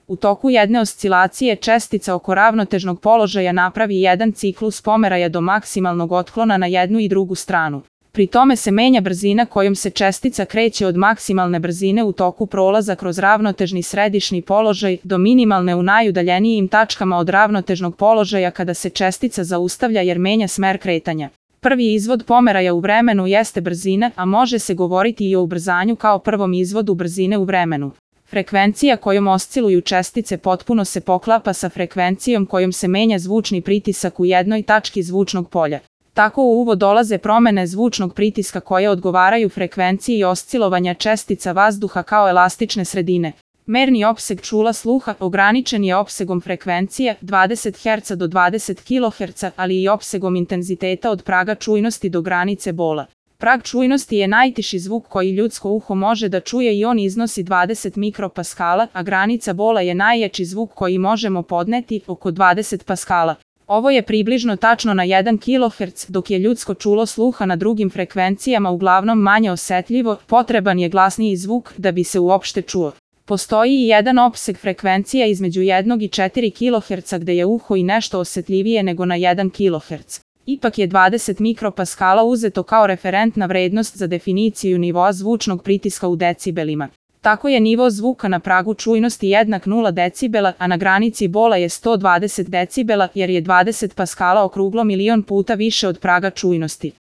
U toku jedne oscilacije čestica oko ravnotežnog položaja napravi jedan ciklus pomeraja do maksimalnog otklona na jednu i drugu stranu. Pri tome se menja brzina kojom se čestica kreće od maksimalne brzine u toku prolaza kroz ravnotežni središnji položaj do minimalne u najudaljenijim tačkama od ravnotežnog položaja kada se čestica zaustavlja jer menja smer kretanja. Prvi izvod pomeraja u vremenu jeste brzina, a može se govoriti i o ubrzanju kao prvom izvodu brzine u vremenu. Frekvencija kojom osciluju čestice potpuno se poklapa sa frekvencijom kojom se menja zvučni pritisak u jednoj tački zvučnog polja. Tako u uvod dolaze promene zvučnog pritiska koje odgovaraju frekvenciji oscilovanja čestica vazduha kao elastične sredine. Merni opseg čula sluha ograničen je opsegom frekvencije 20 Hz do 20 kHz, ali i opsegom intenziteta od praga čujnosti do granice bola. Prag čujnosti je najtiši zvuk koji ljudsko uho može da čuje i on iznosi 20 mikropaskala, a granica bola je najjači zvuk koji možemo podneti, oko 20 paskala. Ovo je približno tačno na 1 kHz, dok je ljudsko čulo sluha na drugim frekvencijama uglavnom manje osetljivo, potreban je glasniji zvuk da bi se uopšte čuo. Postoji i jedan opseg frekvencija između 1 i 4 kHz gde je uho i nešto osetljivije nego na 1 kHz. Ipak je 20 mikropaskala uzeto kao referentna vrednost za definiciju nivoa zvučnog pritiska u decibelima. Tako je nivo zvuka na pragu čujnosti jednak 0 decibela, a na granici bola je 120 decibela jer je 20 paskala okruglo milion puta više od praga čujnosti.